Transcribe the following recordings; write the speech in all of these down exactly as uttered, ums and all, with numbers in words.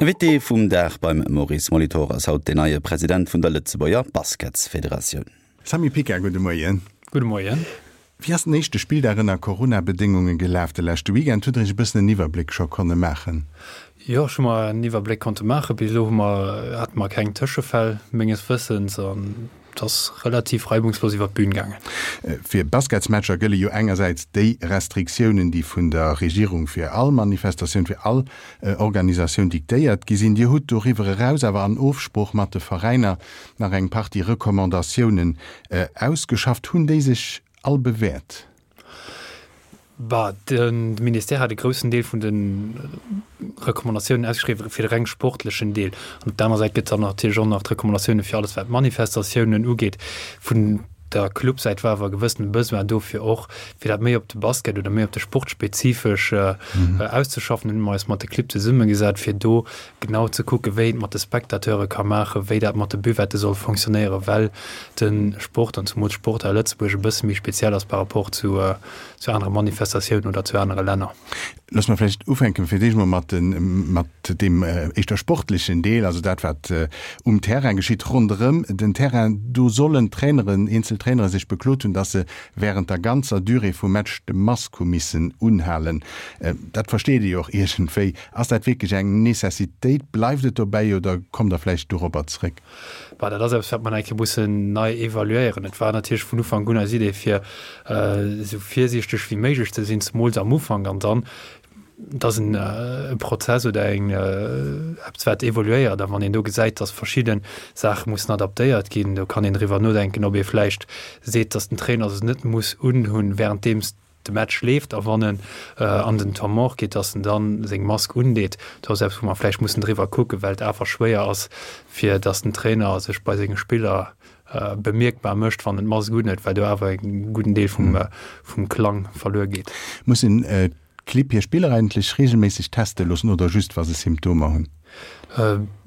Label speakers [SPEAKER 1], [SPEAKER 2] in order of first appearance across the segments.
[SPEAKER 1] Invité vum Dag beim Maurice Molitor ass haut den neie President vun der Lëtzebuerger Basketsfederatioun.
[SPEAKER 2] Samy Picard, gudde Moien.
[SPEAKER 3] Gudde Moien.
[SPEAKER 2] Wéi ass den éischte Spilldag ënner Corona-Bedéngunge gelaf de leschte Weekend? Hutt Der Iech e bëssen en Iwwerbléck scho konne maachen?
[SPEAKER 3] Jo, ech hu mer en Iwwerbléck konnte maachen. Bis elo hu mer, hate mer keng Tëschefäll menges Wëssens an et ass relativ reibungslos iwwer d'Bün gaangen.
[SPEAKER 2] Fir Basketsmatcher gëlle jo engersäits déi Restriktiounen, déi vun der Regierung fir all Manifestatioun, fir all Organisatioun diktéiert gi sinn. Dir hutt doriwwer eraus awer an Ofsprooch mat de Veräiner nach eng Partie Recommandatiounen ausgeschafft. Hunn déi sech all bewäert?
[SPEAKER 3] Bah, de Ministère hat e groussen Deel vun de Recommandatiounen ausgeschriwwen fir de reng sportlechen Deel. An op der anerer Säit gëtt et dann natierlech och nach d'Recommandatioune fir alles, wat d'Manifestatiounen ugeet. Vun der Clubsäit war awer e gewëssene Besoin do, fir och, fir dat méi op de Basket oder méi op de Sport spezifesch auszeschaffen. Hunn mer eis mat de Clibb zesummegesat, fir do genau ze kucken, wéi een et mat de Spectateure ka maachen, wéi dat mat de Buvette soll fonctionnéieren, well de Sport an zumools d'Sport hei a Lëtzebuerg e bësse méi speziell ass par rapport zu zu anere Manifestatiounen oder zu anere Länner.
[SPEAKER 2] Loosse mer vläicht ufänken fir d'éischt mol mat mat deem éischter sportlechen Deel, also dat wat um Terrain geschitt, ronderëm den Terrain. Do sollen d'Traineren, eenzel Trainere sech beklot hunn, dass se während der ganzer Durée vum Match de Mask hu missen unhalen. Dat versteet ee jo och iergendwéi. Ass dat wierklech eng Necessitéit? Bleift et dobäi oder kommt Der vläicht dorobber zréck?
[SPEAKER 3] Bah, dat ass eppes, wat mer nach eng Kéier mussen nei evaluéieren. Et war natierlech vun Ufank un eis Idee, fir esou virsiichteg wéi méiglech ze sinn, zemools am Ufank. An dann, et ass en Prozess oder eng eppes, wat evoluéiert. A wann een do gesäit, dass verschidde Saache mussen adaptéiert ginn, do kann een driwwer nodenken, ob ee vläicht seet, dass den Trainer se net muss unhunn, wärenddeems de Match leeft a wann en an den Temps mort geet, dass en dann seng Mask undeet. Do ass eppes, wou mer vläicht mussen driwwer kucken, well et awer schwéier ass, fir dass den Trainer sech bei senge Spiller bemierkbar mécht, wann en d'Mask unhuet, well do awer e gudden Deel vum, vum Klang verluer geet.
[SPEAKER 2] Mussen d'Clibb hir Spiller eigentlech reegelméisseg teste loossen oder just wa se Symptomer hunn?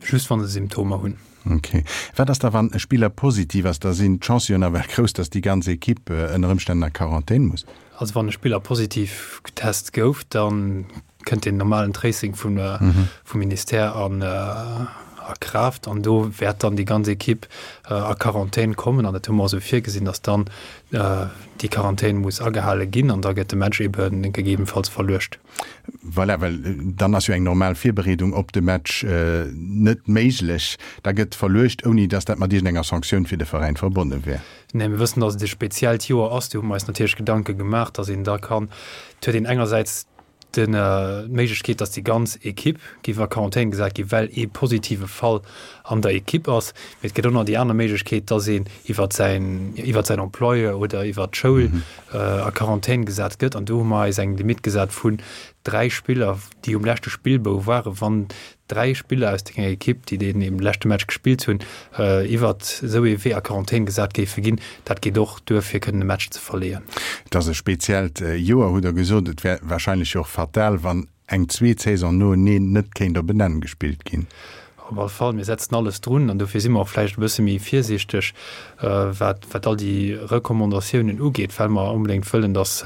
[SPEAKER 3] Just wa se Symptomer hunn.
[SPEAKER 2] Ok. Wat ass da wann e Spiller positiv ass? Da sinn d'Chancë jo nawell grouss, datt déi ganz Ekipp ënner Ëmstänn a Quarantän muss.
[SPEAKER 3] Also wann e Spiller positiv getest gouf, da kënnt deen normalen Tracing vum vum Ministère an a Kraaft an do wäert dann déi ganz Ekipp a Quarantän kommen an dat hu mer och esou virgesinn, datt dann déi Quarantän muss agehale ginn an da gëtt de Match ebe gegebenfalls verluecht.
[SPEAKER 2] Voilà, well dann ass jo eng normal Virbereedung op de Match net méiglech. Da gëtt verluecht, ouni datt dat mat iergendenger Sanktioun fir de Veräin verbonne wär.
[SPEAKER 3] Nee, mir wëssen, datt et e speziellt Joer ass. Do hu mer eis natierlech Gedanke gemaach, datt een da kann, et huet een engersäits d'Méiglechkeet, datt déi ganz Ekipp géif a Quarantän gesat ginn, well ee positive Fall an der Ekipp ass. Mee et gëtt och nach déi aner Méiglechkeet, datt een iwwer säin, iwwer säin Employeur oder iwwer d'Schoul a Quarantän gesat gëtt. An do hu mer eis eng Limitt gesat vun dräi Spiller, déi um leschte Spillbou waren. Wann dräi Spiller aus denger Ekipp, déi deen eben leschte Match gespillt hunn, iwwert esou ee Wee a Quarantän gesat géife ginn, dat geet och duer, fir kënnen e Match ze verleeën.
[SPEAKER 2] Et ass e speziellt Joer, hutt Der gesot. Et wär warscheinlech jo och fatal, wann eng zweet Saison noeneen net kéint op en Enn gespillt ginn.
[SPEAKER 3] Op alle Fall, mir setzen alles drun an dofir si mer och vläicht e bësse méi virsiichteg, wat, wat all déi Recommandatiounen ugeet, well mer onbedéngt wëllen, dass,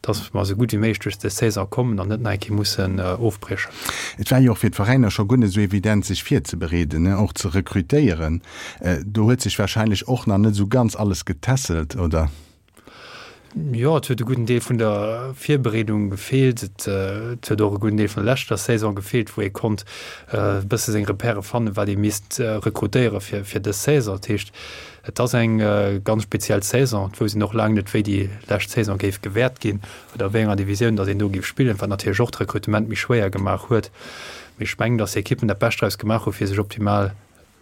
[SPEAKER 3] dass mer esou gutt wéi méiglech duerch des Saison kommen an net nach eng Kéier mussen ofbriechen.
[SPEAKER 2] Et war jo och fir d'Veräiner scho guer net esou evident, sech virzebereeden, och ze rekrutéieren. Do huet sech warscheinlech och nach net esou ganz alles getässelt, oder?
[SPEAKER 3] Jo, et huet e gudden Deel vun der Virbereedung gefeelt. Et huet och e gudden Deel vun der leschter Saison gefeelt, wou ee konnt e bësse seng Repèrë fannen, wat ee misst rekrutéiere fir fir dës Saison. Dat heescht, et ass eng ganz speziell Saison. Et wousst een och laang net, wéi déi lescht Saison géif gewäert ginn oder a wéi enger Divisioun datt een do géif spillen, wat natierlech och d'Rekrutement méi schwéier gemaach huet. Mee ech mengen, datt d'Ekippen dat Bescht draus gemaach hu fir sech optimal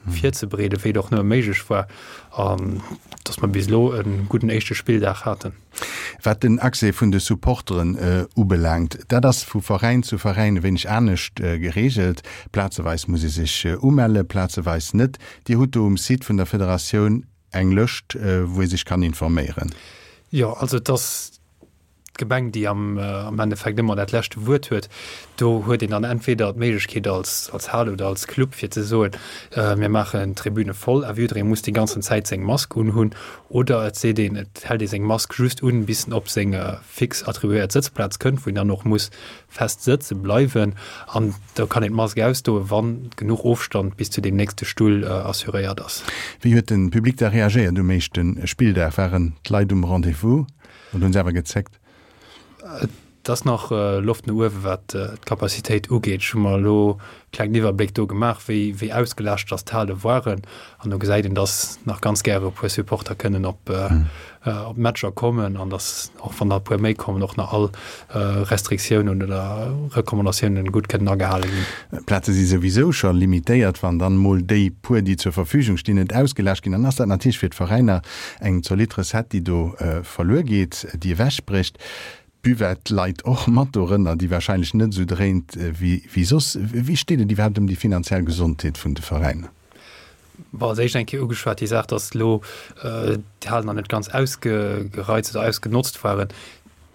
[SPEAKER 3] virzebereeden, wéi et och nëmme méiglech war, an dass mer bis elo e gudden éischte Spilldag haten.
[SPEAKER 2] Wat den Accès vun de Supporteren ubelaangt, dat ass vu Veräin zu Veräin e wéineg anescht gereegelt. Plazeweis muss ee sech umelle, plazeweis net. Dir hutt do um Site vun der Federatioun eng Lëscht, wou ee sech kann informéieren.
[SPEAKER 3] Jo, also et ass d'Gemeng, déi am am Endeffekt ëmmer dat leschte Wuert huet. Do huet een dann entweder d'Méiglechkeet als als Hal oder als Club fir ze soen, mir maachen d'Tribüne voll a jidderee muss déi ganzen Zäit seng Mask unhunn, oder et seet een, et hält ee seng Mask just un, bis en op seng fix attribuéiert Sëtzplaz kënnt, wou een dann och muss fest sëtze bleiwen an da kann een d'Mask ausdoen, wa genuch Ofstand bis zu deem nächste Stull assuréiert ass.
[SPEAKER 2] Wéi huet de Public da reagéiert um éischte Spilldag? Waren d'Leit um Rendez-vous oder hunn se awer gezéckt?
[SPEAKER 3] Et ass nach Loft no uewen, wat d'Capacitéit ugeet. Ech hu mer elo e klengen Iwwerbléck do gemaach, wéi wéi ausgelaascht dass d'Hale waren. An do gesäit een, dass nach ganz gäre e puer Supporter kënnen op op d'Matcher kommen an dass, och wann der e puer méi kommen, och nach all Restriktiounen oder Recommandatiounen gutt kënnen agehale ginn.
[SPEAKER 2] D'Plaze si souwisou scho limitéiert. Wann dann emol déi puer, déi zur Verfügung stinn, net ausgelaascht ginn, dann ass dat natierlech fir d'Veräiner eng zolidd Recette, déi do verluer geet, déi ewechbrécht. D'Buvette leit och mat dorënner, déi wahrscheinlech net esou dréint wéi soss. Wéi steet et iwwerhaapt ëm déi finanziell Gesondheet vun de Veräiner?
[SPEAKER 3] Bon, als éischt eng Kéier ugeschwat déi Saach, datt elo d'Halen nach net ganz ausgereizt oder ausgenotzt waren.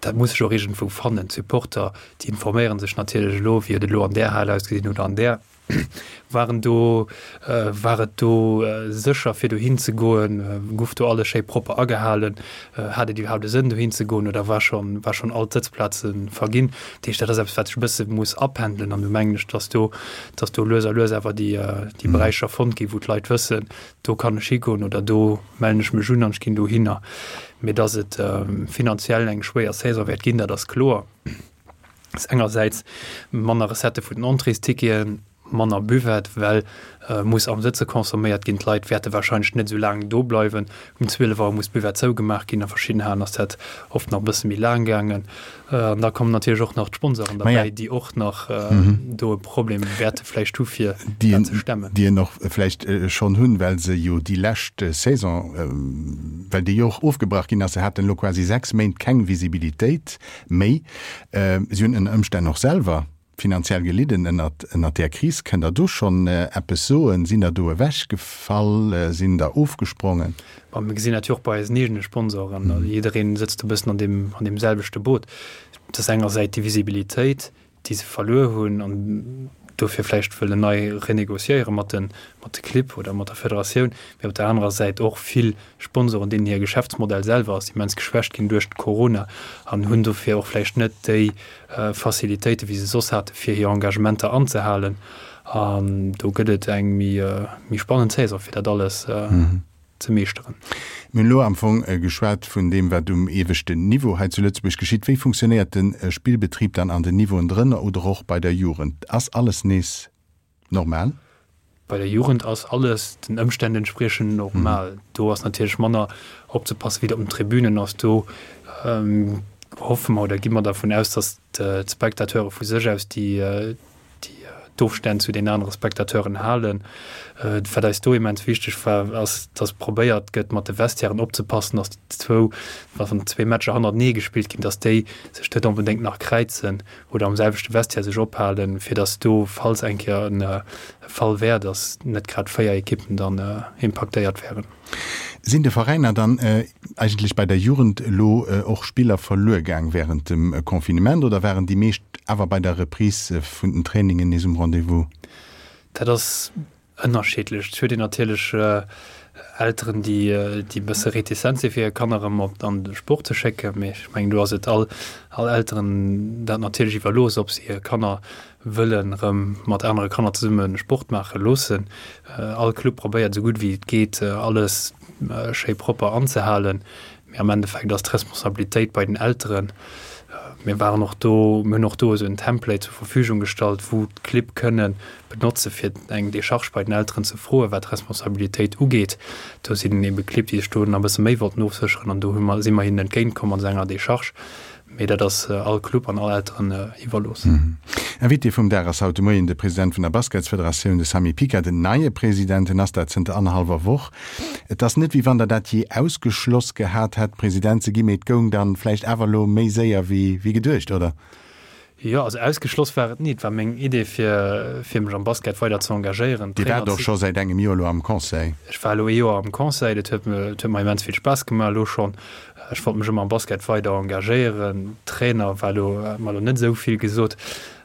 [SPEAKER 3] Dat muss sech och iergendwou fannen. D'Supporter, déi informéiere sech natierlech elo, wéi et elo an där Hal ausgesinn huet oder an där. Waren do, war et do sécher fir dohin ze goen? Guff do alles schéi propper agehalen? Hat et iwwerhaapt e Sënn dohin ze goen oder war schonn, war schonn all d'Sëtzplaze verginn? Dat heescht, dat ass eppes wat sech e bësse muss apendelen an do mengen ech, datt do, datt do lues a lues awer déi, déi Beräicher fonnt ginn, wou d'Leit wëssen, do kann ech higoen oder do mellen ech mech un an ech ginn dohinner. Mee datt et finanziell eng schwéier Saison wäert ginn, dat ass kloer. Ass engersäits manner Recettë vun den Entréesticketen, manner Buvette, well muss am Sëtze consomméiert ginn. D'Leit wäerte warscheinlech net esou laang do bleiwen. Um zwielef Auer muss d'Buvette zougemaach ginn. A verschidden Halen ass dat oft nach e bësse méi laang gaangen. An da kommen natierlech och nach d'Sponsoren derbäi, déi och nach do e Problem wäerte vläicht hu fir dat ze stemmen.
[SPEAKER 2] Déi en och vläicht schonn hunn, well se jo déi lescht Saison, well déi jo och ofgebrach ginn ass, se haten elo quasi sechs Méint keng Visibilitéit méi. Si hunn ënner Ëmstänn och selwer finanziell gelidden ënnert ënnert där Kris. Kënnt Der do schonn eppes soen? Sinn der do ewechgefall? Sinn der ofgesprongen?
[SPEAKER 3] Bon, mir gesinn dat jo och bei eisen eegene Sponsoren. Jiddereen sëtzt e bëssen an deem an deem selwechte Boot. Et ass engersäit déi Visibilitéit, déi se verluer hunn an dofir vläicht wëllen nei renegociéiere mat de mat de Clibb oder mat der Federatioun, mee op der anerer Säit och vill Sponsoren, deenen hir Geschäftsmodell selwer ass immens geschwächt ginn duerch d'Corona an hunn dofir och vläicht net déi Facilitéite wéi se soss hate fir hir Engagementer anzehalen. An do gëtt et eng méi méi spannend Saison fir dat alles ze meeschteren.
[SPEAKER 2] Mir hunn elo am Fong geschwat vun deem, wat um ieweschten Niveau hei zu Lëtzebuerg geschitt. Wéi funktionéiert de Spillbetrib dann an den Niveauen drënner oder och bei der Jugend? Ass alles nees normal?
[SPEAKER 3] Bei der Jugend ass alles den Ëmstänn entspriechend normal. Do ass natierlech manner opzepassen, wéi et op den Tribünen ass. Do hoffe mer oder gi mer dervun aus, datt d'Spectateure vu sech aus déi d'Ofstänn zu den anere Spectateuren halen. Wat eis do immens wichteg war, ass, datt probéiert gëtt, mat de Vestiairen opzepassen, datt déi zwou, wann zwee Matcher hannertenee gespillt ginn, datt déi sech net onbedéngt nach kräizen oder am selwechte Vestiaire sech ophalen, fir datt do, falls eng Kéier e Fall wär, datt net grad véier Ekippen dann impaktéiert wären.
[SPEAKER 2] Sinn de Veräiner dann eigentlech bei der Jugend elo och Spiller verluer gaang wärend dem Confinement oder waren déi meescht awer bei der Reprise vun den Trainingen nees um Rendez-vous?
[SPEAKER 3] Dat ass ënnerschiddlech. Et huet een natierlech Elteren, déi e bësse retizent si fir hir Kanner erëm op an de Sport ze schécken. Mee ech mengen, do ass et all all Elteren dat natierlech iwwerlooss, ob se hir Kanner wëllen erëm mat anere Kanner zesumme Sport maache loossen. All Club probéiert esou gutt wéi et geet alles schéi propper anzehalen, mee am Endeffekt ass d'Responsabilitéit bei den Elteren. Mir waren och do, mir hunn och do esou en Template zur Verfügung gestallt, wou d'Clibb kënne benotze fir eng Decharge bei den Elteren ze froen, wat d'Responsabilitéit ugeet. Do sinn ebe Clibb, déi sech do nach e bësse méi wollten ofsécheren an do hu mer, si mer hinnen entgéintkomm mat esou enger Decharge. Mee dat ass all Club an all Elteren iwwerlooss.
[SPEAKER 2] Invité vum Dag ass haut de Moien de President vun der Basketsfederatioun, de Samy Picard. Den neie President, en ass dat zënter annerhallwer Woch. Et ass net, wéi wann Der dat jee ausgeschloss gehat hätt, President ze ginn, mee et goung dann vläicht awer elo méi séier wéi geduecht, oder?
[SPEAKER 3] Jo, also ausgeschloss war et ni. Et war meng Idee fir fir mech am Basket weider ze engagéieren,
[SPEAKER 2] Dir
[SPEAKER 3] Trainer
[SPEAKER 2] waart och
[SPEAKER 3] ze
[SPEAKER 2] scho säit engem Joer elo am Conseil.
[SPEAKER 3] Ech war elo ee Joer am Conseil, dat huet mir, dat huet mer immens vill Spaass gemaach elo schonn. Ech wollt mech ëmmer am Basket weider engagéieren. Trainer war elo, hat mer elo net esou vill gesot.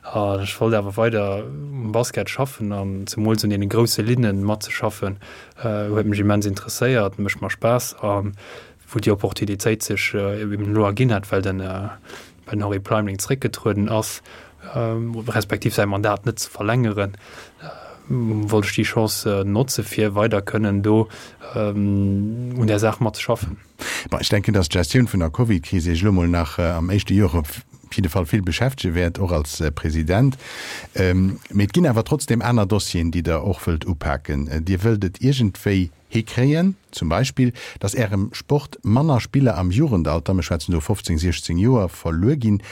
[SPEAKER 3] An ech wollt awer weider um Basket schaffen an zemools un deene grousse Linne matzeschaffen, huet mech immens interesséiert, mécht mer Spaass. A wou déi Opportunitéit sech eben elo erginn hat, well den well den Henri Pleimling zréckgetrueden ass, respektiv säi Mandat net ze verlängeren, wollt ech déi Chance notze fir weider kënnen do un där Saach mat ze schaffen.
[SPEAKER 2] Bon, ech denken, dass d'Gestioun vun der Covid-Kris Iech elo mol nach am éischte Joer op jidde Fall vill beschäftege wäert, och als President. Mee et ginn awer trotzdeem aner Dossieren, déi Der och wëllt upaken. Dir wëllt et iergendwéi hikréien, zum Beispill, dass Ärem Sport manner Spiller am Jugendalter, mir schwätzen do fofzéng, siechzéng Joer, verluer ginn.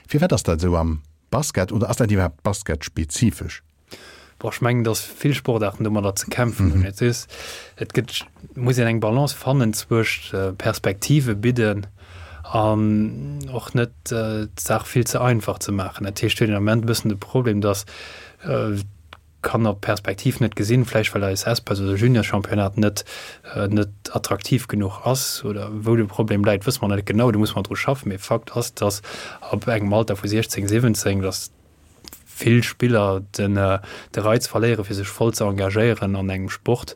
[SPEAKER 2] Firwat ass dat esou am Basket oder ass dat iwwerhaapt basketspezifesch?
[SPEAKER 3] Bon, ech mengen, dass vill Sportaarten domadder ze kämpfen hunn. Et ass, et gëtt, muss een eng Balance fannen zwëscht Perspektive bidden an och net d'Saach vill ze einfach ze maachen. Dat heescht, huet een am Ament e bëssen de Problem, dass d'Kanner d'Perspektiv net gesinn, vläicht well eis Espace oder Juniorschampionnat net net attraktiv genuch ass oder wou de Problem läit, wësse mer net genau, do musse mer dru schaffen. Mee Fakt ass, dass ab engem Alter vu siechzéng, siwwenzéng, dass vill Spiller den de Reiz verléiere fir sech voll ze engagéieren an engem Sport,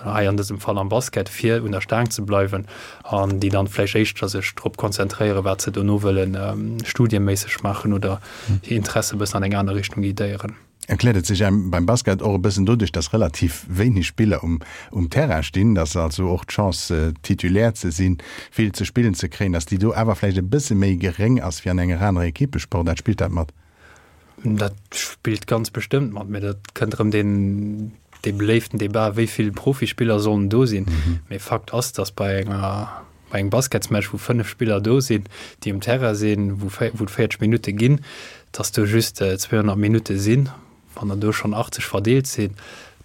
[SPEAKER 3] hei an dësem Fall am Basket, fir un der Staang ze bleiwen an déi dann vläicht éischter sech drop konzentréieren, wat se dono wëllen studieméisseg maachen oder hir Interesse e bëssen an eng aner Richtung guidéieren.
[SPEAKER 2] Erkläert et sech engem beim Basket och e bëssen doduerch, dass relativ wéineg Spiller um um Terrain stinn, dass also och d'Chance Titulaire ze sinn, vill ze spillen ze kréien, dass déi do awer vläicht e bësse méi geréng ass wéi an enger anerer Equippesportaart? Spillt dat mat?
[SPEAKER 3] Dat spillt ganz bestëmmt mat, mee dat kënnt erëm deen dee beléiften Debat, wéi vill Profispiller sollen do sinn. Mee Fakt ass, dass bei enger bei engem Basketsmatch, wou fënnef Spiller do sinn, déi um Terrain sinn, wou wou et véierzeg Minutte ginn, dass do just zweehonnert Minutte sinn. Wann der do schonn achtzeg verdeelt sinn,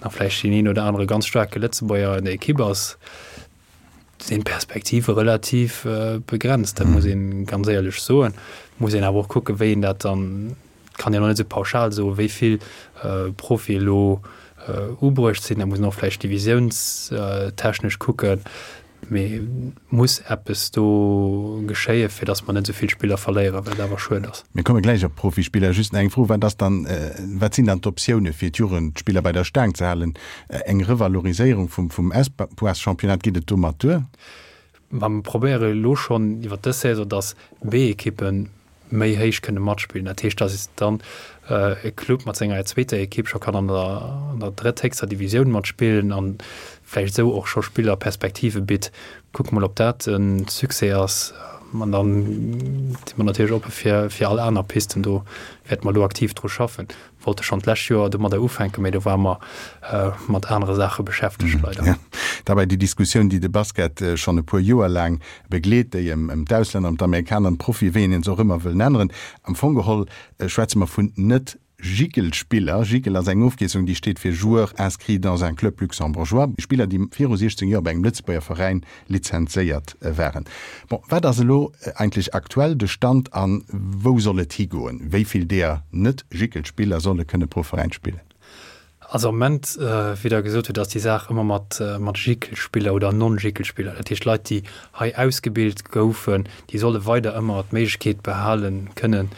[SPEAKER 3] nach vläicht deen een oder anere ganz staarke Lëtzebuerger an der Ekipp ass, sinn d'Perspektive relativ begrenzt, dat muss ee ganz éierlech soen. Muss een awer och kucken, wéi een dat dann, kann een och net esou pauschal soen, wéi vill Profie elo ubruecht sinn. Da muss een och vläicht divisiounstechnesch kucken. Mee muss eppes do geschéien, fir datt mer net esou vill Spiller verléieren, wat awer schued ass.
[SPEAKER 2] Mir komme gläich op d'Profispiller. Just nach eng Fro, Wat ass dann, wat sinn dann d'Optioune fir d'Jugendspiller bei der Staang ze halen? Eng Revaloriséierung vum vum Espoirs-Championnat, geet et domat duer?
[SPEAKER 3] Ma mer probéiere elo schonn iwwer dës Saison, datt B-Ekippe méi héich kënne matspillen. Dat heescht, datt dann e Club mat senger zweeter Ekipp scho kann an der an der drëthéchster Divisioun matspillen an vläicht esou och scho Spiller Perspektive bitt. Kucke mol, ob dat e Succès ass. An dann si mer natierlech oppe fir fir all aner Pisten. Do wäerte mer elo aktiv dru schaffen. Wollte schonn d'lescht Joer domadder ufänken, mee do ware mer mat anere Saache beschäftegt, leider.
[SPEAKER 2] Jo, dabei déi Diskussioun, déi de Basket schonn e puer Joer laang begleet, déi ëm d'Auslänner, ëm d'Amerikaner, ëm d'Profie, wéi een se och ëmmer wëll nenneren. Am Fong geholl schwätze mer vun Net-Jicl-Spiller. Jicl ass eng Ofkierzung, déi steet fir Joueur inscrit dans un club luxembourgeois, Spiller, déi viru siechzéng Joer bei engem Lëtzebuerger Veräin lizenzéiert waren. Bon, wat ass elo eigentlech aktuell de Stand a wou soll et higoen? Wéi vill deeër Net-Jicl-Spiller solle kënne pro Veräin spillen?
[SPEAKER 3] Also am Moment, wéi Der gesot hutt, ass déi Saach ëmmer mat mat Jicl-Spiller oder Non-Jicl-Spiller, dat heescht Leit, déi hei ausgebilt goufen, déi solle weider ëmmer d'Méiglechkeet behalen kënnen,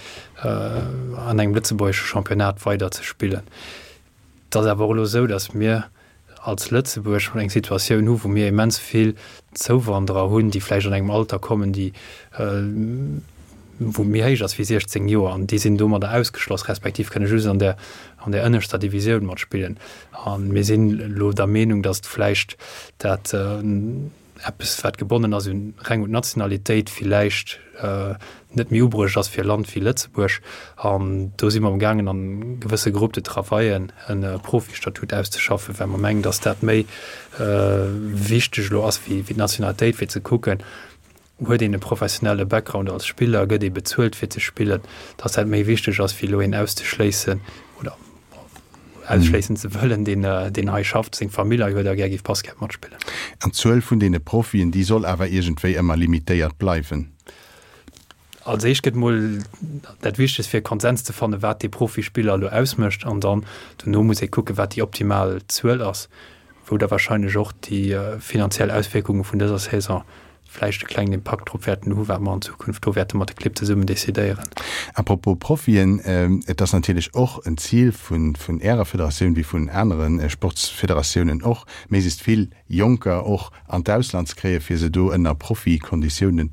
[SPEAKER 3] an engem lëtzebuergesche Championnat weider ze spillen. Et ass awer och elo esou, datt mir als Lëtzebuerg eng Situatioun hu wou mir immens vill Zouwanderer hunn, déi vläicht an engem Alter kommen, déi wou méi héich ass wéi siechzéng Joer, an déi sinn domadder ausgeschloss, respektiv kënne just an der an der ënneschter Divisioun matspillen. A mir sinn elo der Meenung, datt vläicht dat eppes wat gebonnen ass un reng un d'Nationalitéit, villäicht net méi ubruecht ass fir e Land wéi Lëtzebuerg. An do si mer amgaangen an gewësse Groupes de travaillen e Profistatut auszeschaffen, well mer mengen, datt dat méi wichteg elo ass wéi d'Nationalitéit, fir ze kucken, huet een e professionelle Background als Spiller, gëtt ee bezuelt fir ze spillen, datt dat méi wichteg ass wéi elo een auszeschléissen oder ausschléissen ze wëllen, deen deen hei schafft, seng Famill hei huet a gär géif Basket matspillen.
[SPEAKER 2] An d'Zuel vun deene Profien, déi soll awer iergendwéi ëmmer limitéiert bleiwen?
[SPEAKER 3] Als éischt gëtt mol dat Wichtegst fir e Konsens ze fannen, wat dee Profispiller elo ausmécht an dann dono muss ee kucken, wat déi optimal Zuel ass, wou da wahrscheinlech och déi finanziell Auswierkunge vun dëser Saison vläicht e klengen Impakt drop wäerten hu wat mer an Zukunft do wäerte mat de Clibb zesummen decidéieren.
[SPEAKER 2] À propos Profien, et ass natierlech och en Zil vun Ärer Federatioun, wéi vun anere Sportsfederatiounen och, méiglechst vill Jonker och an d'Ausland ze kréien, fir se do ënner Profikonditiounen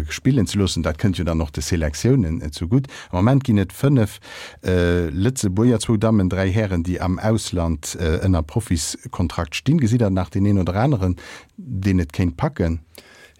[SPEAKER 2] spillen ze loossen. Dat kënnt jo dann och de Selektiounen zugutt. Am Moment ginn et fënnef Lëtzebuerger, zwou Dammen, dräi Hären, déi am Ausland ënner Profiskontrakt stinn. Gesitt Der nach deen een oder aneren, deen et kéint packen?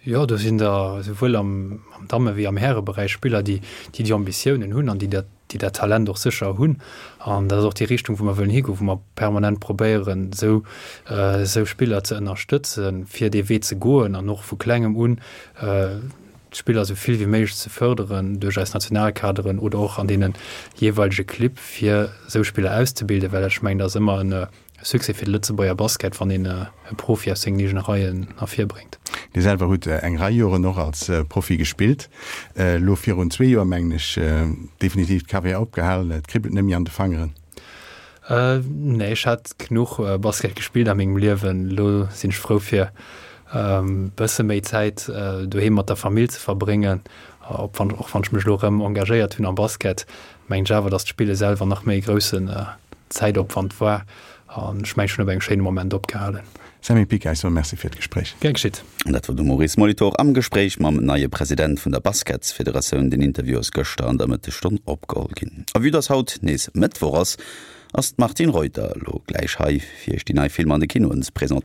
[SPEAKER 3] Jo, do sinn der esouwuel am Damme wéi am Häreberäich Spiller, déi déi Ambitiounen hunn an déi dat déi dat Talent och sécher hunn. An dat ass och déi Richtung, wou mer wëllen higoen, wou mer permanent probéieren, esou esou Spiller ze ënnerstëtzen, fir dee Wee ze goen an och vu Klengem un d'Spiller esou vill wéi méiglech ze fërderen duerch eis Nationalkaderen oder och an deene jeeweilege Clibb, fir esou Spiller auszebilden, well ech mengen, dat ass ëmmer en Succès fir de Lëtzebuerger Basket, wann een e Profi aus sengen eegene Reien ervirbréngt.
[SPEAKER 2] Dir selwer hutt eng Rei Joren och als Profi gespillt. Elo virun zwee Joer, mengen ech, definitiv d'Karriär opgehalen. Et kribbelt net méi an de Fangeren?
[SPEAKER 3] Nee, ech hat genuch Basket gespillt a mengem Liewen. Elo sinn ech frou fir e bësse méi Zäit doheem mat der Famill ze verbréngen. Och wann ech mech elo erëm engagéiert hunn am Basket, mengen ech awer, datt d'Spille selwer nach méi e groussen Zäitopwand war. An ech mengen, ech hunn op engem schéine Moment opgehalen.
[SPEAKER 2] Sammy Pica, ech soe Merci fir d'Gespréich.
[SPEAKER 3] Gär geschitt.
[SPEAKER 1] An dat war de Maurice Molitor am Gespréich mam neie President vun der Basketsfederatioun. Den Interview ass gëschter an der Mëttesstonn opgeholl ginn. A vue dass haut nees Mëttwoch ass, ass d'Martine Reuter elo gläich hei, fir iech déi nei Filmer an de Kinoen ze presentéieren.